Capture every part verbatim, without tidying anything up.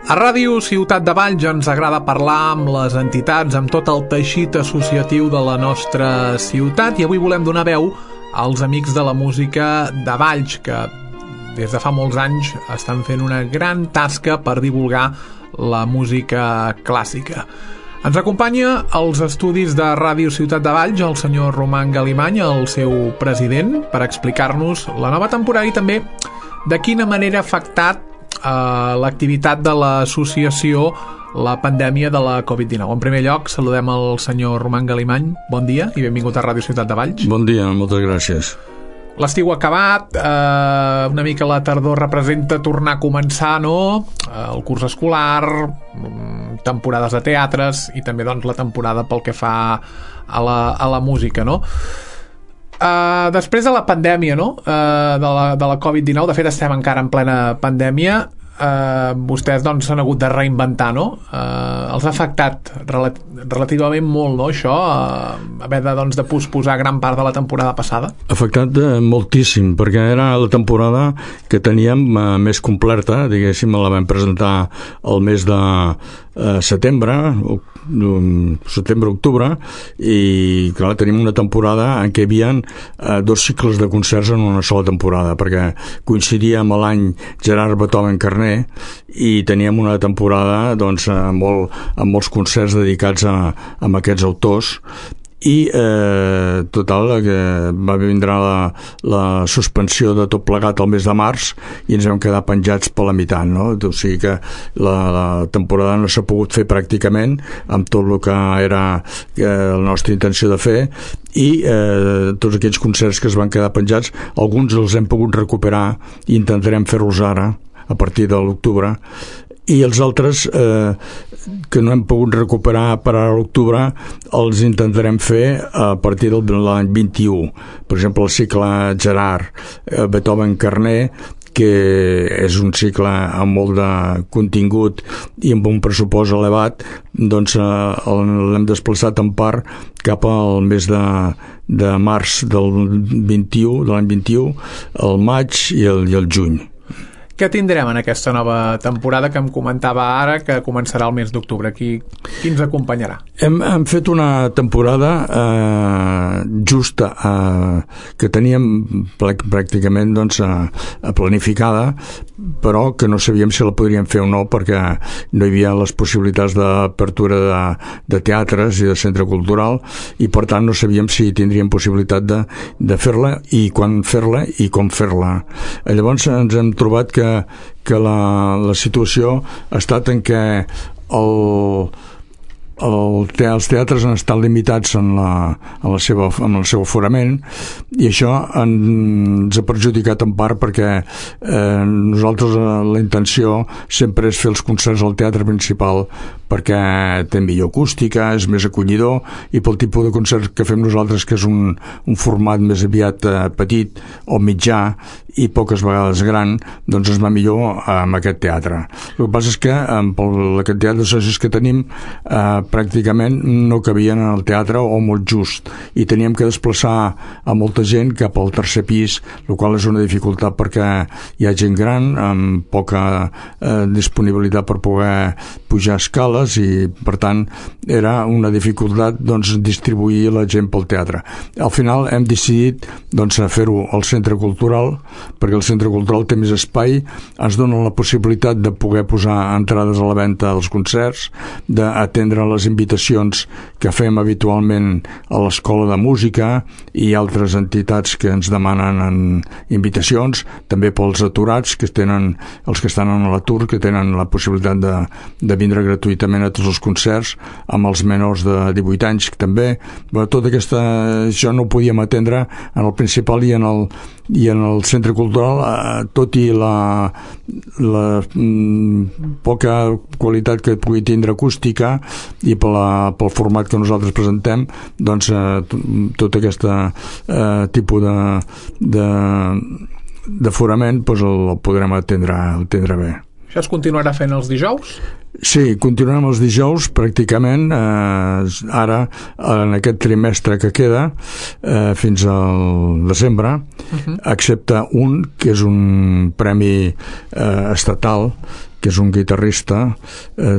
A Ràdio Ciutat de Valls ens agrada parlar amb les entitats, amb tot el teixit associatiu de la nostra ciutat, i avui volem donar veu als amics de la música de Valls, que des de fa molts anys estan fent una gran tasca per divulgar la música clàssica. Ens acompanya als estudis de Ràdio Ciutat de Valls el senyor Roman Galimany, el seu president, per explicar-nos la nova temporada i també de quina manera ha afectat Uh, l'activitat de l'associació la pandèmia de la covid dinou. En primer lloc, saludem el senyor Roman Galimany. Bon dia i benvingut a Ràdio Ciutat de Valls. Bon dia, moltes gràcies. L'estiu ha acabat, uh, una mica la tardor representa tornar a començar, no? Uh, el curs escolar, um, temporades de teatres i també doncs, la temporada pel que fa a la, a la música, no? Uh, després de la pandèmia, no? uh, de, la, de la covid dinou, de fet estem encara en plena pandèmia, uh, vostès doncs s'han hagut de reinventar, no? Uh, els ha afectat relat relativament molt, no, això, uh, haver de, doncs, de posposar gran part de la temporada passada? Ha afectat eh, moltíssim, perquè era la temporada que teníem eh, més completa, diguéssim, la vam presentar el mes de eh, setembre, setembre-octubre, i clar, tenim una temporada en què hi havia eh, dos cicles de concerts en una sola temporada, perquè coincidia amb l'any Gerard Beethoven Carner i teníem una temporada doncs, amb, molt, amb molts concerts dedicats a, a aquests autors. I eh, total que va vindre la, la suspensió de tot plegat al mes de març i ens vam quedar penjats per la meitat, no? O sigui que la, la temporada no s'ha pogut fer pràcticament amb tot el que era eh, la nostra intenció de fer, i eh, tots aquells concerts que es van quedar penjats, alguns els hem pogut recuperar i intentarem fer-los ara a partir de l'octubre, i els altres eh, que no hem pogut recuperar per a l'octubre els intentarem fer a partir de l'any vint-i-u. Per exemple, el cicle Gerard eh, Beethoven Carner, que és un cicle amb molt de contingut i amb un pressupost elevat, doncs eh, l'hem desplaçat en part cap al mes de, de març del vint-i-u, de l'any vint-i-u, el maig i el, i el juny. Què tindrem en aquesta nova temporada que em comentava ara, que començarà el mes d'octubre? Qui, qui ens acompanyarà? Hem, hem fet una temporada eh, justa, eh, que teníem pràcticament doncs, eh, planificada, però que no sabíem si la podríem fer o no, perquè no hi havia les possibilitats d'apertura de, de teatres i de centre cultural, i per tant no sabíem si tindríem possibilitat de, de fer-la i quan fer-la i com fer-la. Llavors ens hem trobat que que la, la situació ha estat en què el, el te, els teatres han estat limitats en, la, en, la seva, en el seu aforament, i això ens ha perjudicat en part perquè eh, nosaltres la intenció sempre és fer els concerts al teatre principal, perquè té millor acústica, és més acollidor, i pel tipus de concert que fem nosaltres, que és un, un format més aviat eh, petit o mitjà i poques vegades gran, doncs es va millor amb aquest teatre. El que passa és que amb la quantitat de socis que tenim eh, pràcticament no cabien en el teatre, o molt just, i teníem que desplaçar a molta gent cap al tercer pis, el qual és una dificultat perquè hi ha gent gran amb poca eh, disponibilitat per poder pujar escales, i per tant era una dificultat doncs, distribuir la gent pel teatre. Al final hem decidit doncs, fer-ho al centre cultural, perquè el centre cultural té més espai, ens dona la possibilitat de poder posar entrades a la venda als concerts, d'atendre les invitacions que fem habitualment a l'Escola de Música i altres entitats que ens demanen en invitacions, també pels aturats, que tenen, els que estan en l'atur, que tenen la possibilitat de, de vindre gratuïtament a tots els concerts, amb els menors de divuit anys també. Però tot aquesta, això no ho podíem atendre en el principal i en el, i en el centre cultural, eh, tot i la, la mm, poca qualitat que pugui tindre acústica i per la, pel format que nosaltres presentem, doncs eh, tot aquest eh, tipus de, de, d'aforament doncs el, el podrem atendre, atendre bé. Això es continuarà fent els dijous? Sí, continuem els dijous pràcticament, eh, ara en aquest trimestre que queda eh, fins al desembre, uh-huh. excepte un que és un premi eh, estatal, que és un guitarrista eh,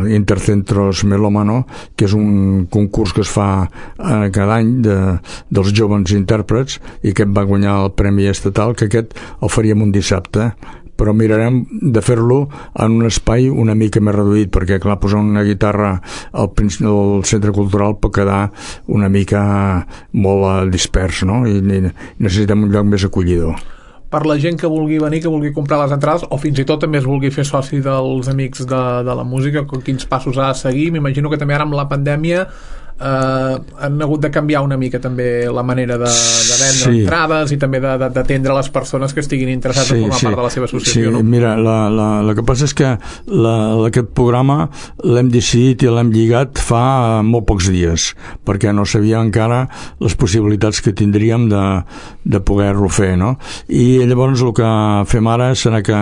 d'Intercentros Melómano, que és un concurs que es fa eh, cada any de, dels joves intèrprets, i aquest va guanyar el premi estatal, que aquest el faríem un dissabte, però mirarem de fer-lo en un espai una mica més reduït, perquè clar, posar una guitarra al, al centre cultural pot quedar una mica molt dispers, no? I necessitem un lloc més acollidor. Per la gent que vulgui venir, que vulgui comprar les entrades, o fins i tot també es vulgui fer soci dels Amics de, de la Música, quins passos ha de seguir? M'imagino que també ara amb la pandèmia eh, han hagut de canviar una mica també la manera de, de vendre sí. entrades i també d'atendre les persones que estiguin interessades sí, en formar sí. part de la seva associació. Sí, no? Mira, la, la, la que passa és que la, aquest programa l'hem decidit i l'hem lligat fa molt pocs dies, perquè no sabia encara les possibilitats que tindríem de, de poder-lo fer, no? I llavors el que fem ara serà que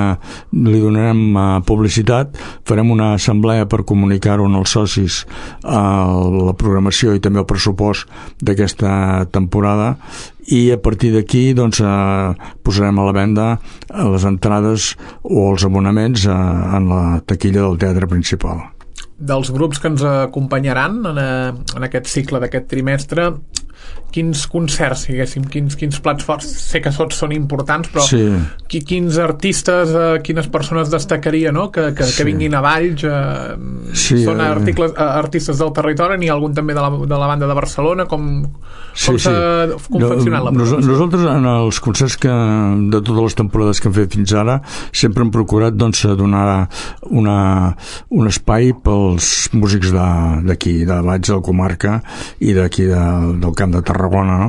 li donarem uh, publicitat, farem una assemblea per comunicar-ho als socis uh, la programació i també el pressupost d'aquesta temporada, i a partir d'aquí doncs, eh, posarem a la venda les entrades o els abonaments eh, en la taquilla del teatre principal. Dels grups que ens acompanyaran en, a, en aquest cicle d'aquest trimestre, quins concerts, diguéssim, quins, quins plats forts, sé que tots són importants, però sí. qui, quins artistes, eh, quines persones destacaria, no? que, que, sí. que vinguin a Valls, eh, sí, són articles, eh, artistes del territori, n'hi ha algun també de la, de la banda de Barcelona, com, sí, com s'ha sí. confeccionat la programació? Nosaltres en els concerts que, de totes les temporades que hem fet fins ara sempre hem procurat doncs, donar una, un espai pels músics d'aquí, de, de Valls, de la comarca i d'aquí de, del Camp de Tarragona, no?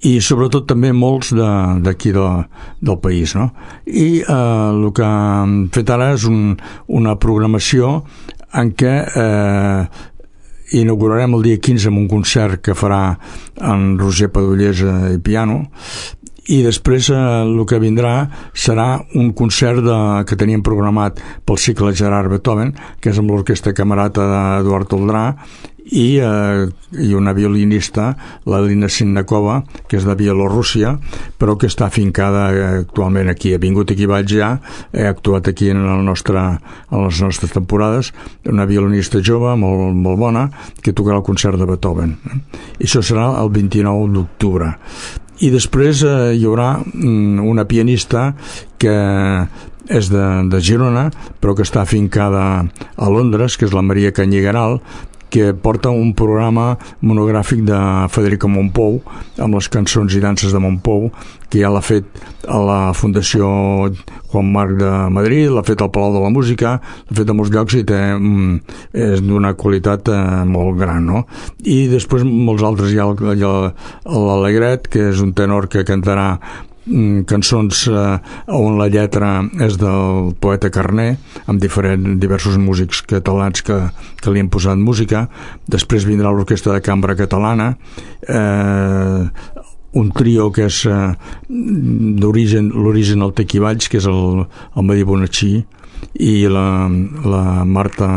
I sobretot també molts d'aquí de, del país, no? I eh, el que hem fet ara és un, una programació en què eh, inaugurarem el dia quinze amb un concert que farà en Roger Padollesa i piano, i després eh, el que vindrà serà un concert de, que teníem programat pel cicle Gerard Beethoven, que és amb l'orquestra camerata d'Eduard Toldrà, i, eh, i una violinista, la Lina Sinnakova, que és de Bielorússia, però que està afincada eh, actualment aquí. Ha vingut aquí a Valls ja, ha actuat aquí en, el nostre, en les nostres temporades, una violinista jove, molt, molt bona, que tocarà el concert de Beethoven. I això serà el vint-i-nou d'octubre. I després eh, hi haurà mm, una pianista que és de, de Girona, però que està afincada a Londres, que és la Maria Canyigaral, que porta un programa monogràfic de Federico Mompou amb les cançons i danses de Mompou, que ja l'ha fet a la Fundació Juan Marc de Madrid, l'ha fet al Palau de la Música, l'ha fet a molts llocs i té, mm, és d'una qualitat eh, molt gran, no? I després molts altres, hi ha l'Alegret, que és un tenor que cantarà cançons eh, on la lletra és del poeta Carner, amb diferents, diversos músics catalans que, que li han posat música. Després vindrà l'Orquestra de Cambra Catalana, eh, un trio que és eh, d'origen, l'origen al Tequivalls, que és el, el Medi Bonachí, i la, la Marta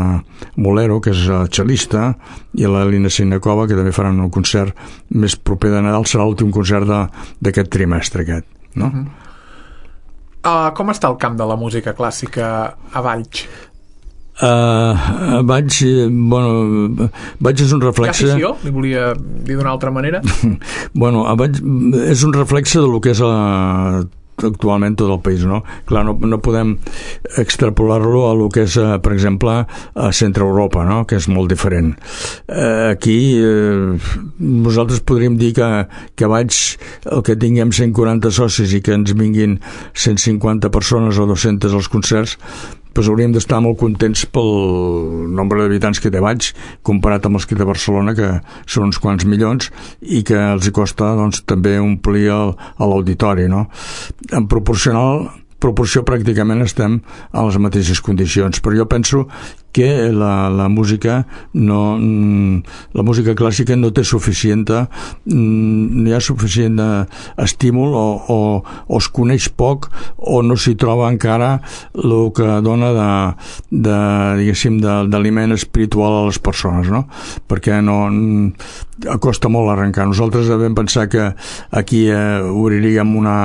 Molero, que és cel·lista, i la Lina Sinnakova, que també faran un concert més proper de Nadal. Serà l'últim concert d'aquest trimestre aquest, no? Uh-huh. Uh, com està el camp de la música clàssica a Valls? Uh, Valls, bueno, Valls és un reflexe... Hi ha afició? Li volia dir d'una altra manera. Bueno, a Valls és un reflexe del que és la actualment tot el país, no? Clar, no, no podem extrapolar-lo a lo que és, eh, per exemple, a Centre Europa, no? Que és molt diferent. Eh, aquí eh, nosaltres podríem dir que, que vaig, el que tinguem cent quaranta socis i que ens vinguin cent cinquanta persones o dues-centes als concerts, doncs hauríem d'estar molt contents pel nombre d'habitants que té Valls comparat amb els que té Barcelona, que són uns quants milions i que els hi costa doncs, també omplir el, a l'auditori, no? En proporcional proporció pràcticament estem a les mateixes condicions, però jo penso que la, la música no, la música clàssica no té suficient no hi ha suficient estímul o, o, o es coneix poc o no s'hi troba encara el que dona de, de diguéssim d'aliment espiritual a les persones, no? Perquè no costa molt arrencar. Nosaltres vam pensar que aquí eh, obriríem una,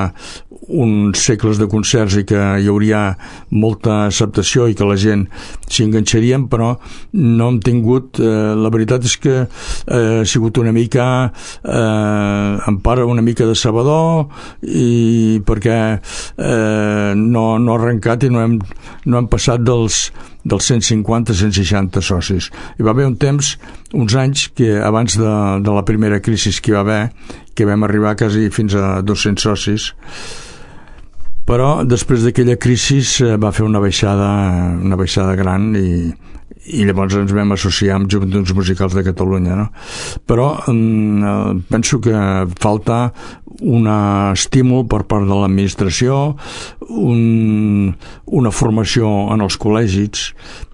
uns segles de concerts i que hi hauria molta acceptació i que la gent s'hi enganxarien, però no hem tingut eh, la veritat és que eh, ha sigut una mica eh, en part una mica de sabador i perquè eh, no, no ha arrencat i no hem, no hem passat dels dels cent cinquanta a cent seixanta socis. Hi va haver un temps, uns anys, que abans de, de la primera crisi que hi va haver, que vam arribar quasi fins a dos-cents socis, però després d'aquella crisi va fer una baixada, una baixada gran i, i llavors ens vam associar amb Joventuts Musicals de Catalunya, no? Però eh, penso que falta un estímul per part de l'administració, un, una formació en els col·legis,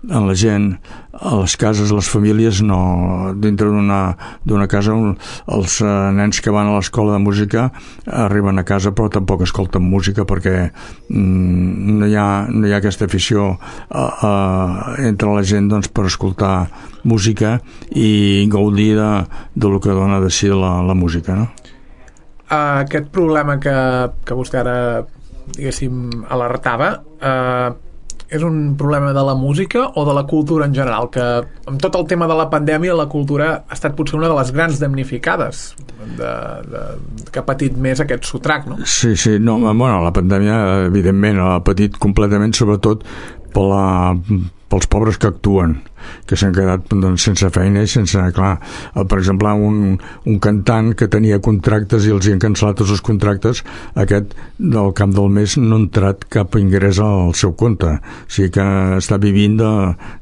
en la gent, a les cases, les famílies, no, dintre d'una d'una casa un, els eh, nens que van a l'escola de música arriben a casa però tampoc escolten música perquè mm, no, hi ha, no hi ha aquesta afició eh, eh, entre la gent doncs, per escoltar música i gaudir de, de lo que dona de si la, la música, no? Uh, aquest problema que, que vostè ara diguéssim alertava uh, és un problema de la música o de la cultura en general, que amb tot el tema de la pandèmia la cultura ha estat potser una de les grans damnificades de, de, que ha patit més aquest sotrac, no? Sí, sí, no, bueno, la pandèmia evidentment ha patit completament, sobretot per la, pels pobres que actuen, que s'han quedat doncs, sense feina i sense, clar, per exemple un, un cantant que tenia contractes i els hi han cancel·lat tots els contractes, aquest del camp del mes no ha entrat cap ingrés al seu compte, o sigui que està vivint de,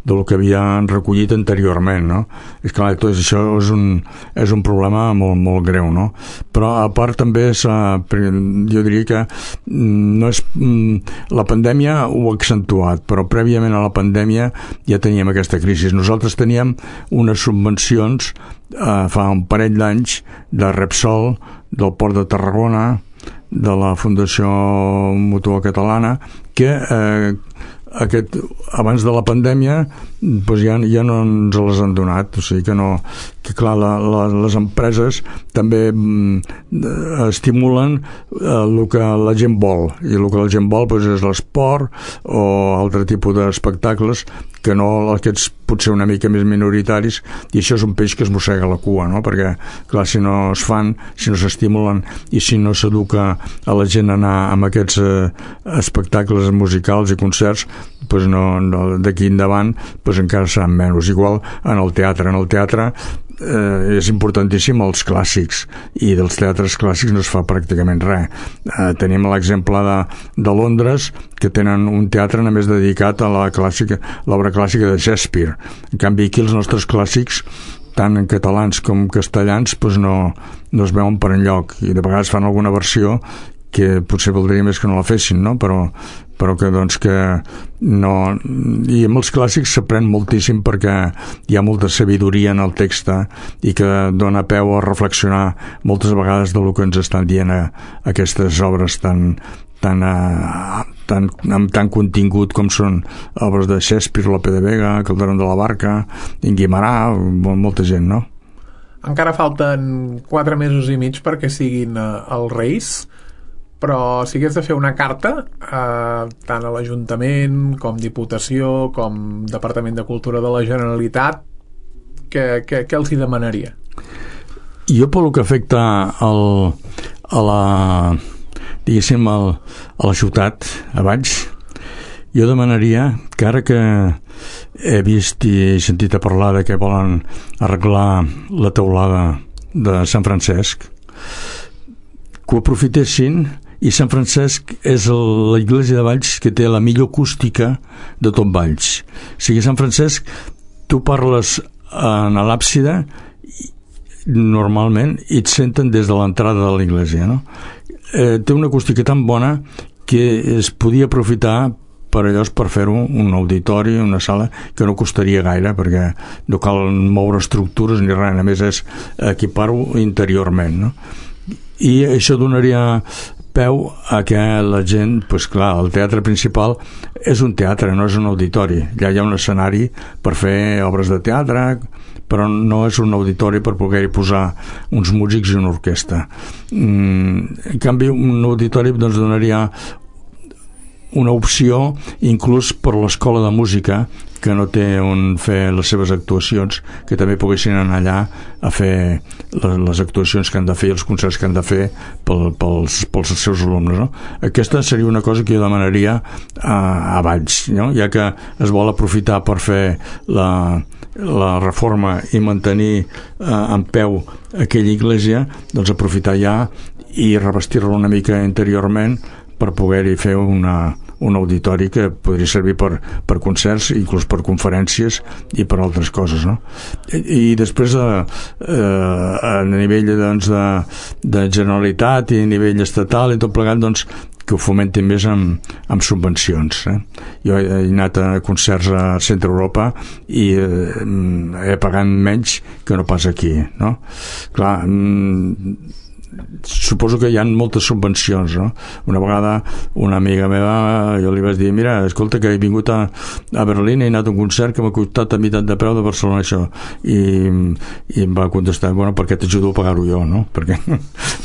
de lo que havien recollit anteriorment, no? És clar, tot això és un, és un problema molt, molt greu, no? Però a part també jo diria que no és, la pandèmia ho ha accentuat, però prèviament a la pandèmia ja teníem aquesta crisi. Nosaltres teníem unes subvencions eh, fa un parell d'anys de Repsol, del Port de Tarragona, de la Fundació Mútua Catalana, que eh, aquest, abans de la pandèmia doncs ja, ja no ens les han donat, o sigui que no, que clar, la, la, les empreses també mm, estimulen eh, el que la gent vol, i el que la gent vol doncs, és l'esport o altre tipus d'espectacles que no aquests potser una mica més minoritaris, i això és un peix que es mossega la cua, no? Perquè clar, si no es fan, si no s'estimulen i si no s'educa a la gent a anar amb aquests eh, espectacles musicals i concerts, doncs no, no, d'aquí endavant doncs encara seran menys. Igual en el teatre, en el teatre eh, és importantíssim els clàssics, i dels teatres clàssics no es fa pràcticament res. Eh, tenim l'exemple de, de Londres, que tenen un teatre només dedicat a la clàssica, l'obra clàssica de Shakespeare. En canvi aquí els nostres clàssics, tant en catalans com castellans, doncs no, no es veuen per enlloc, i de vegades fan alguna versió que potser voldria més que no la fessin, no? Però, però que doncs que no... I amb els clàssics s'aprèn moltíssim perquè hi ha molta sabidoria en el text i que dona peu a reflexionar moltes vegades de lo que ens estan dient a, a aquestes obres tan, tan, a, tan, amb tant contingut com són obres de Shakespeare, Lope de Vega, Calderón de la Barca, Guimarà, molta gent, no? Encara falten quatre mesos i mig perquè siguin uh, els Reis, però si hagués de fer una carta eh, tant a l'Ajuntament com Diputació com Departament de Cultura de la Generalitat, què, què, què els hi demanaria? Jo pel que afecta el, a la diguéssim el, a la ciutat a Valls, jo demanaria que ara que he vist i he sentit a parlar de que volen arreglar la teulada de Sant Francesc, que ho aprofitessin. I Sant Francesc és el, la iglesia de Valls que té la millor acústica de tot Valls. O sigui, Sant Francesc, tu parles en l'àpside normalment i et senten des de l'entrada de l'església, no? Eh, té una acústica tan bona que es podia aprofitar per allò per fer-ho un auditori, una sala que no costaria gaire, perquè no cal moure estructures ni res, a més és equipar-ho interiorment, no? I això donaria peu a que la gent, pues clar, el teatre principal és un teatre, no és un auditori. Ja hi ha un escenari per fer obres de teatre, però no és un auditori per poder-hi posar uns músics i una orquestra. Mm, en canvi, un auditori doncs, donaria una opció inclús per l'escola de música, que no té on fer les seves actuacions, que també poguessin anar allà a fer les actuacions que han de fer i els concerts que han de fer pel, pels, pels seus alumnes, no? Aquesta seria una cosa que jo demanaria a, a Valls, no? Ja que es vol aprofitar per fer la, la reforma i mantenir eh, en peu aquella església, doncs aprofitar ja i revestir-la una mica interiorment per poder-hi fer una, un auditori que podria servir per, per concerts, inclús per conferències i per altres coses, no? I, i després a, a nivell doncs, de, de Generalitat i a nivell estatal i tot plegat, doncs que ho fomentin més amb, amb subvencions, eh? Jo he anat a concerts a Centre Europa i eh, he pagat menys que no pas aquí, no? Clar, suposo que hi ha moltes subvencions, no? Una vegada una amiga meva, jo li vaig dir, mira, escolta, que he vingut a, a Berlín, he anat a un concert que m'ha costat a meitat de preu de Barcelona, això, i, i em va contestar, bueno, per què t'ajudo a pagar-ho jo, no? Perquè,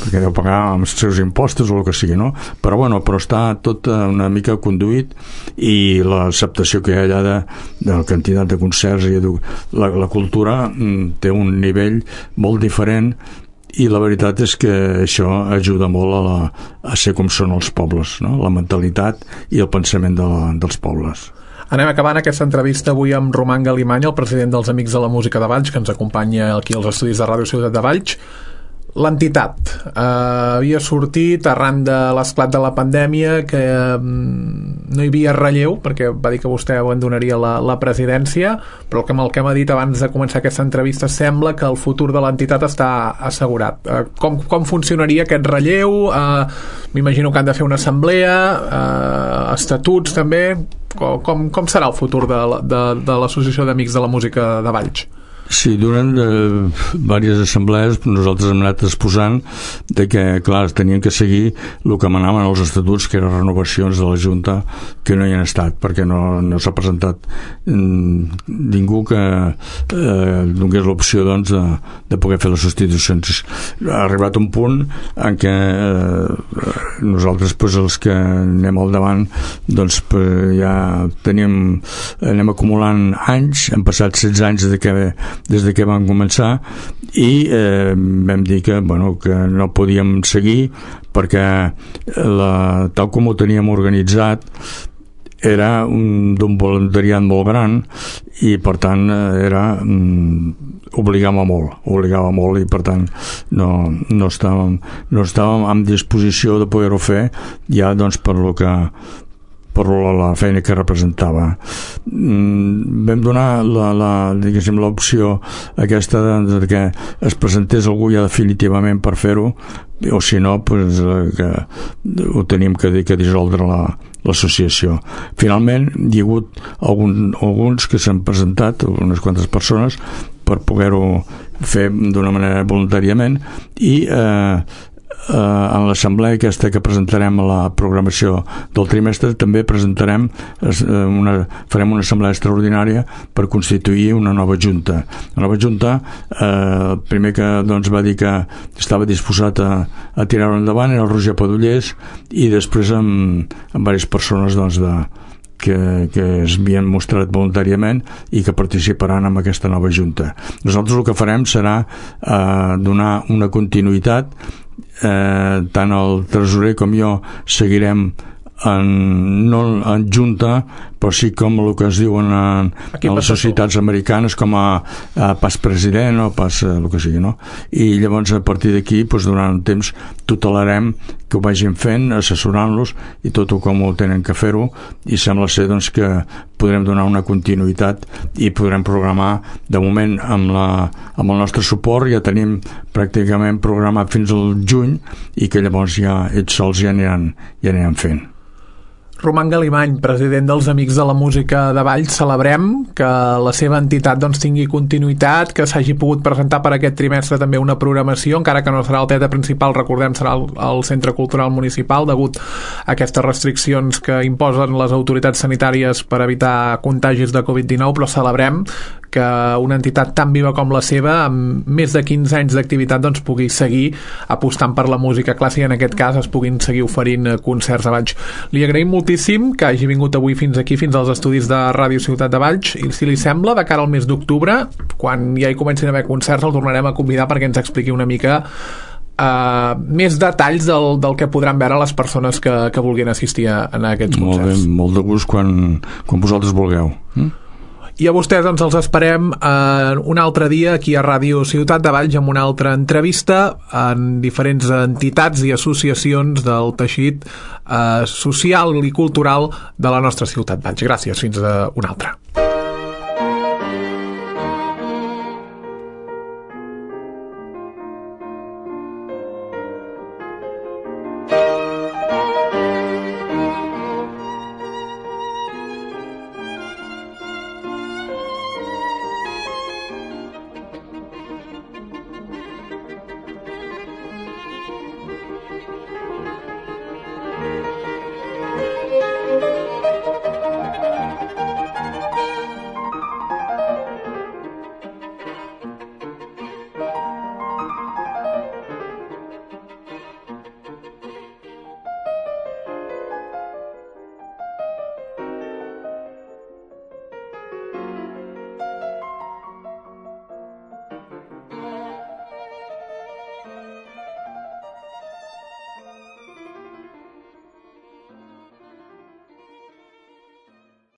perquè deu pagar amb els seus impostos o el que sigui, no? Però bueno, però està tot una mica conduït, i l'acceptació que hi ha allà de, de la quantitat de concerts i la, la cultura té un nivell molt diferent, i la veritat és que això ajuda molt a, la, a ser com són els pobles, no? La mentalitat i el pensament de la, dels pobles. Anem acabant aquesta entrevista avui amb Roman Galimany, el president dels Amics de la Música de Valls, que ens acompanya aquí als estudis de Ràdio Ciutat de Valls. L'entitat eh, havia sortit arran de l'esclat de la pandèmia, que eh, no hi havia relleu, perquè va dir que vostè abandonaria la, la presidència, però el que, el que m'ha dit abans de començar aquesta entrevista sembla que el futur de l'entitat està assegurat. Eh, com, com funcionaria aquest relleu? Eh, m'imagino que han de fer una assemblea, eh, estatuts també. Com, com, com serà el futur de, de, de l'Associació d'Amics de la Música de Valls? Sí, durant eh, diverses assemblees nosaltres hem anat exposant de que, clar, tenien que seguir el que manaven els estatuts, que eren renovacions de la Junta, que no hi han estat, perquè no, no s'ha presentat mm, ningú que eh, donés l'opció, doncs, de, de poder fer les substitucions. Ha arribat un punt en què eh, nosaltres, pues, els que anem al davant, doncs, pues, ja tenim, anem acumulant anys, han passat setze anys des que des de que vam començar, i eh, vam dir que, bueno, que no podíem seguir perquè la, tal com ho teníem organitzat era d'un voluntariat molt gran, i per tant era mm, obligava molt obligava molt i per tant no, no, estàvem, no estàvem en disposició de poder-ho fer ja, doncs, per lo que per la feina que representava. Mm, vam donar la, la, diguéssim, l'opció aquesta de, de que es presentés algú ja definitivament per fer-ho, o si no, pues, que ho tenim que, que dissoldre la, l'associació. Finalment hi ha hagut algun, alguns que s'han presentat, unes quantes persones, per poder-ho fer d'una manera voluntàriament, i eh, Uh, en l'assemblea aquesta que presentarem a la programació del trimestre també presentarem una, farem una assemblea extraordinària per constituir una nova junta. La nova junta, uh, el primer que, doncs, va dir que estava disposat a, a tirar-ho endavant era el Roger Padullés, i després amb, amb diverses persones, doncs, de que, que es havien mostrat voluntàriament i que participaran en aquesta nova junta. Nosaltres el que farem serà uh, donar una continuïtat. Eh, tant el tresorer com jo seguirem en, no en junta, però sí com el que es diuen en, en les societats americanes com a, a pas president o pas el que sigui, no? I llavors a partir d'aquí, doncs, durant un temps tutelarem que ho vagin fent, assessorant-los i tot com ho tenen que fer-ho, i sembla ser, doncs, que podrem donar una continuïtat i podrem programar de moment amb, la, amb el nostre suport. Ja tenim pràcticament programat fins al juny, i que llavors ja ells sols ja aniran, ja aniran fent. Roman Galimany, president dels Amics de la Música de Valls, celebrem que la seva entitat doncs, tingui continuïtat, que s'hagi pogut presentar per aquest trimestre també una programació, encara que no serà el teatre principal, recordem, serà el, el Centre Cultural Municipal, degut a aquestes restriccions que imposen les autoritats sanitàries per evitar contagis de covid dinou, però celebrem que una entitat tan viva com la seva, amb més de quinze anys d'activitat, doncs, pugui seguir apostant per la música clàssica, en aquest cas es puguin seguir oferint concerts a Valls. Li agraïm moltíssim que hagi vingut avui fins aquí, fins als estudis de Ràdio Ciutat de Valls, i si li sembla, de cara al mes d'octubre, quan ja hi comencin a haver concerts, el tornarem a convidar perquè ens expliqui una mica Uh, més detalls del, del que podran veure les persones que, que vulguin assistir a, a aquests molt concerts. Bé, molt de gust quan, quan vosaltres vulgueu. Mm? I a vostès doncs els esperem uh, un altre dia aquí a Ràdio Ciutat de Valls amb una altra entrevista en diferents entitats i associacions del teixit uh, social i cultural de la nostra ciutat Valls. Gràcies, fins a una altra.